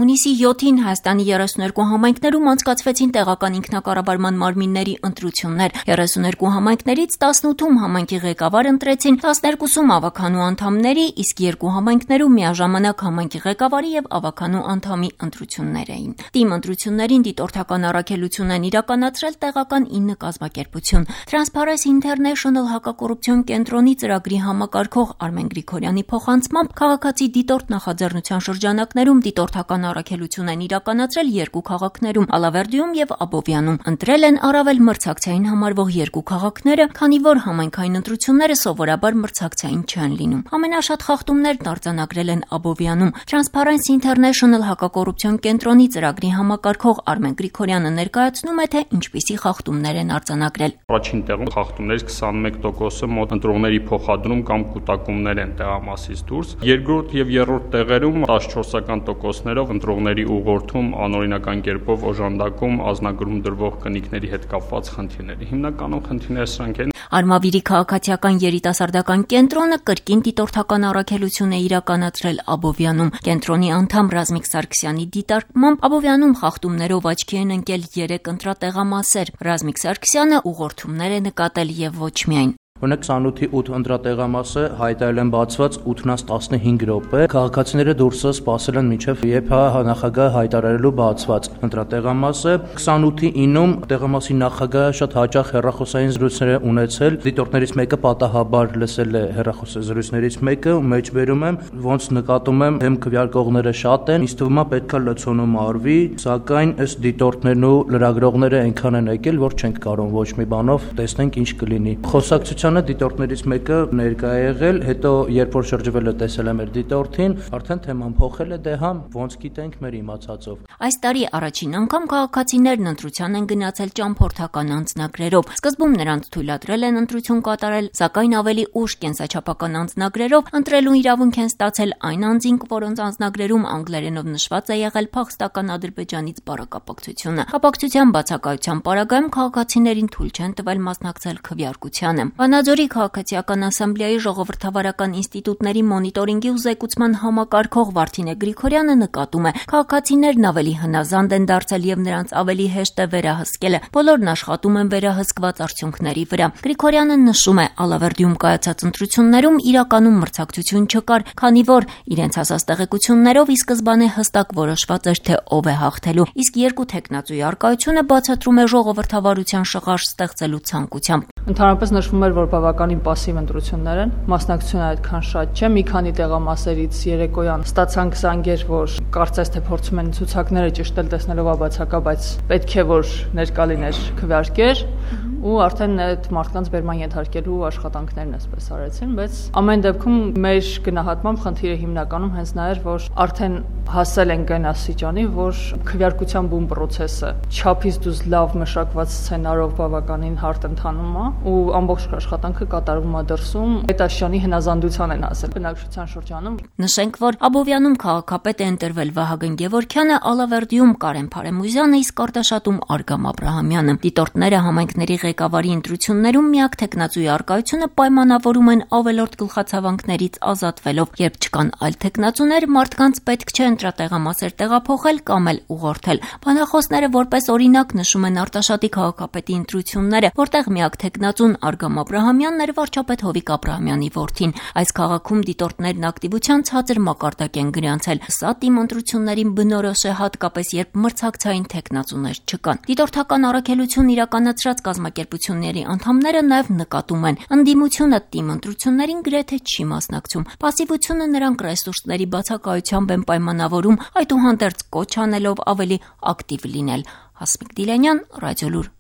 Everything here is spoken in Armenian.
Հունիսի 7-ին Հայաստանի 32 համայնքներում անցկացվեցին տեղական ինքնակառավարման մարմինների ընտրություններ։ 32 համայնքներից 18-ում համայնքի ղեկավար ընտրեցին, 12-ում ավականու անդամների, իսկ 2 համայնքներում միաժամանակ համայնքի ղեկավարի եւ ավականու անդամի ընտրություններ էին։ Թիմ ընտրություններին դիտորդական առաքելություն են իրականացրել տեղական 9 կազմակերպություն։ Transparency International հակակոռուպցիոն կենտրոնի ծրագրի համակարգող Արմեն Գրիգորյանի փոխանցմամբ քաղաքացի դիտորդ նախաձեռնության շրջանակներում դիտորդական առաքելություն են իրականացրել 2 քաղաքներում՝ Ալավերդիում եւ Աբովյանում։ Ընտրել են առավել մրցակցային համարվող 2 քաղաքները, քանի որ համայնքային ընտրությունները սովորաբար մրցակցային չեն լինում։ Ամենաշատ խախտումներն արձանագրել են Աբովյանում։ Transparency International հակակոռուպցիոն կենտրոնի ծրագրի համակարգող Արմեն Գրիգորյանը ներկայացնում է, թե ինչպիսի խախտումներ են արձանագրել։ Առաջին տեղում խախտումներից 21%-ը մոտ ընտրողների փոխադրում կամ կուտակումներ են տեղամասից դուրս։ Երկրորդ եւ երրորդ տեղերում 14%-ներով ընտրողների ուղղորդում, անօրինական կերպով օժանդակում, ազնագրում դրվող կնիկների հետ կապված խնդիրներ։ Հիմնականում խնդիրները սրանք են։ Արմավիրի քաղաքացիական երիտասարդական կենտրոնը կրկին դիտորդական առաքելություն է իրականացրել Աբովյանում։ Կենտրոնի անդամ Ռազմիկ Սարգսյանի դիտարկմամբ Աբովյանում խախտումներով աչքի են ընկել 3 ընտրատեղամասեր։ Ռազմիկ Սարգսյանը ուղղորդումներ է նկատել եւ ոչ միայն։ Օրինակ 28-ի 8 ընտրատեղամասը հայտարարել են բացված 8-ից 15 րոպե։ Քաղաքացիները դուրսը սպասել են մինչև երբ նախագահը հայտարարելու բացված ընտրատեղամասը։ 28-ի 9-ում տեղամասի նախագահը շատ հաճախ հեռախոսային զրույցներ է ունեցել։ Դիտորդներից մեկը պատահաբար լսել է հեռախոսային զրույցներից մեկը, մեջբերում եմ, ոնց նկատում եմ, հեմ քվեարկողները շատ են, ինձ թվում է պետքա լցոնում արվի, սակայն ըստ դիտորդներն ու լրագրողները այնքան են եկել, որ չենք կարող ոչ մի բանով տեսնենք ինչ կլինի։ Խոսակցության դիտորդներից մեկը ներկա է եղել, հետո երբ որ շրջվել է տեսել է մեր դիտորդին, արդեն թեման փոխել է, դե համ ոնց գիտենք մեր իմացածով։ Այս տարի առաջին անգամ քաղաքացիներն ընտրության են գնացել ճամփորդական անձնագրերով։ Սկզբում նրանց թույլատրել են ընտրություն կատարել, սակայն ավելի ուշ կենսաչափական անձնագրերով ընտրելու իրավունք են ստացել այն անձինք, որոնց անձնագրերում անգլերենով նշված է եղել փախստական Ադրբեջանից բառակապակցությունը։ Կապակցության բացակայության պարագայում քաղաքացիներին թույլ չեն տվել մասնակցել քվեարկությանը։ Վանաձորի քաղաքացիական ասամբլեայի ժողովրդավարական ինստիտուտների մոնիտորինգի ու զեկուցման համակարգող Վարդինե Գրիգորյանը նկատում է, քաղաքացիներն ավելի հնազանդ են դարձել եւ նրանց ավելի հեշտ է վերահսկելը։ Բոլորն աշխատում են վերահսկված արդյունքների վրա։ Գրիգորյանը նշում է, Ալավերդիում կայացած ընտրություններում իրականում մրցակցություն չկար, քանի որ իրենց հասած տեղեկություններով ի սկզբանե հստակ որոշված էր, թե ով է հաղթելու, իսկ երկու թեկնածուի առկայությունը բացատրում է ժողովրդավարության շղարշ ստեղծելու ցանկությամբ։ Ընդհանրապես նշվում էր, որ բավականին պասիվ ընտրություններ են, մասնակցությունը այդքան շատ չէ, մի քանի տեղամասերից երեկոյան ստացանք զանգեր, որ կարծես թե փորձում են ցուցակները ճշտել տեսնելով աբացակա, բայց պետք է որ ներկա լիներ քվեարկեր ու արդեն այդ մարդկանց բերման ենթարկելու աշխատանքներն այսպես արեցին, բայց ամեն դեպքում մեր գնահատմամբ խնդիրը հիմնականում հենց նա էր, որ արդեն հասել ենք այն աստիճանի, որ քվեարկության բուն process-ը չափից դուրս լավ մշակված սցենարով բավականին հարթ ընթանում է ու ամբողջ աշխատանքը կատարվում է դրսում, այդ աշյանի հնազանդության են ասել բնակչության շրջանում։ Նշենք, որ Աբովյանում քաղաքապետ է ընտրվել Վահագն Գևորգյանը, Ալավերդիում Կարեն Փարեմուզյանը, իսկ Արտաշատում Արգամ Աբրահամյանը։ Դիտորդները համայնքների ղեկավարի ընտրություններում միակ թեկնածուի առկայությունը պայմանավորում են ավելորդ գլխացավանքներից ազատվելով, երբ չկան այլ թեկնածուներ, մարդկանց պետք չէ ընտրատեղամասեր տեղափոխել կամ էլ ուղղորդել։ Բանախոսները որպես օրինակ նշում են Արտաշատի քաղաքապետի ընտրությունները, որտեղ միակ թեկնածուն Արգամ Աբրահամյանն էր, վարչապետ Հովիկ Աբրահամյանի որդին։ Այս քաղաքում դիտորդներն ակտիվության ցածր մակարդակ են գրանցել։ Սա թիմ ընտրություններին բնորոշ է, հատկապես երբ մրցակցային թեկնածուներ չկան։ Դիտորդական առաքելություն իրականացրած կազմակերպությունների անդամները նաև նկատում են, ընդդիմությունը թիմ ընտրություններին գրեթե չի մասնակցում։ Պասիվությունը նրանք ռեսուրսների բացակայությամբ են պայմանավորում, այդուհանդերձ կոչ անելով ավելի ակտիվ լինել։ Հասմիկ Դիլյանյան, Ռադիոլուր։